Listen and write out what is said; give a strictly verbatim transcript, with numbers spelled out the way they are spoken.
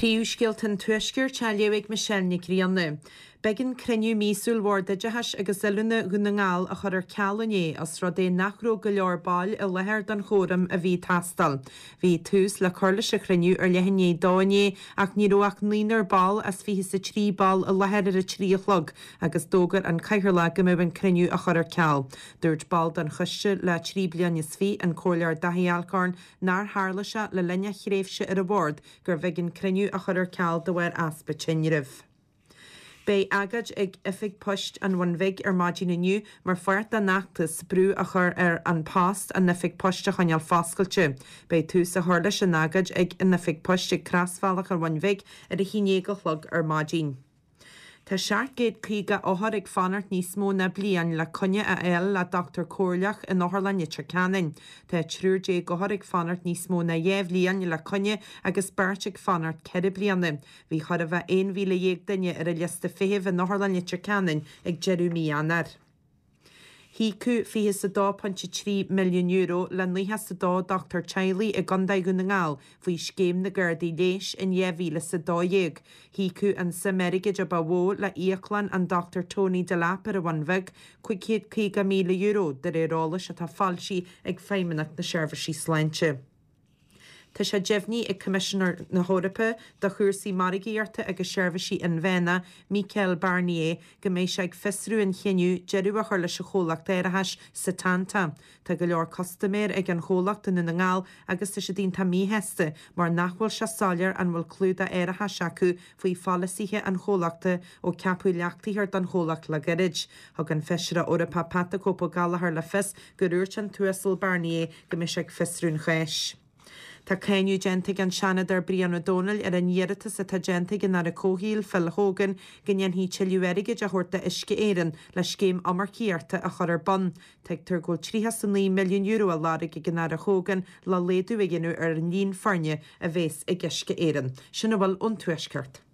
Príomhscéalta an Tuaiscirt á léamh ag Michelle Nic Grianna. B'éigean cruinniú míosúil Bhord Oideachais agus Oiliúna Dhún na nGall a chur ar ceal inné os rud é nach raibh go leor baill i láthair don chóram a bhí ag teastáil. Bhí tús le cur leis an chruinniú ar leath i ndiaidh a dó inné ach ní raibh ach naonúr ball as fiche is a trí ball i láthair ar a trí a chlog agus d'fhógair an Cathaoirleach go mbeadh an cruinniú á chur ar ceal. Dúirt ball den choiste le trí bliana is fiche, an Comhairleoir Daithí Alcorn, nár tharla sé le linn a thréimhse ar an bhord gurbh éigean cruinniú a chur ar ceal de bharr easpa tinrimh. Beidh agóid ag Oifig Poist an Bhun Bhig ar maidin inniu mar pháirt den fheachtas brú a chur ar An Post an oifig poist a choinneáil foscailte. Beidh tús á chur leis an agóid ag an oifig poist ag crosbhealach an Bhun Bhig ar a haon déag a chlog ar maidin. Tá seacht gcéad caoga othar ag fanacht níos mó ná bliain le coinne a fháil le dochtúir comhairleach in Otharlann Leitir Ceanainn. Tá triúr déag othar ag fanacht níos mó ná dhá bhliain le coinne agus beirt ag fanacht ceithre bliana. Bhí chóir a bheith aon mhíle dhéag duine ar an liosta feithimh in Otharlann Leitir Ceanainn ag deireadh mí Eanáir. hÍocadh fiche is a dó pointe trí milliún euro le nócha is a dó dochtúir teaghlaigh i gContae Dhún na nGall faoi Scéim na gCártaí Leighis in dhá mhíle is a dó dhéag. hÍocadh an suim airgid a ba mhó le íoclann an Dochtúir Tony Delap ar an Bhun Bheag, cúig chéad caoga míle euro, de réir eolais atá foilsithe ag Feidhmeannacht na Seirbhísí Sláinte. Tá sé deimhnithe ag Coimisinéir na hEorpa do chúrsaí margaíochta agus seirbhísí inmheánacha, Michel Barnier, go mbeidh sé ag fiosrú an chinneadh deireadh a chur leis an chomhlacht árachais Setanta. Tá go leor custaiméir ag an chomhlacht i nDún na nGall agus tá siad iontach míshásta mar nach bhfuil sé soiléir an bhfuil clúdach árachais acu faoi pholasaithe an chomhlachta ó ceapadh leachtaitheoir don chomhlacht le gairid. Thug an Feisire Eorpach Pat the Cope Gallagher le fios gur dhúirt an tUasal Barnier go mbeidh sé ag fiosrú an cháis. Tá cáineadh déanta ag an Seanadóir Brian Ó Domhnaill ar an iarratas atá déanta ag an Aire Comhshaoil, Phil Hogan, go ndéanfaí tuilleadh airgid a thabhairt d'Uisce Éireann le scéim iomarcaíochta a chur ar bun. Tuigtear go bhfuil tríocha is a naoi milliún euro á lorg ag an Aire Hogan le laghdú a dhéanamh ar an líon foirne a bheas ag Uisce Éireann. Sin a bhfuil ón Tuaisceart.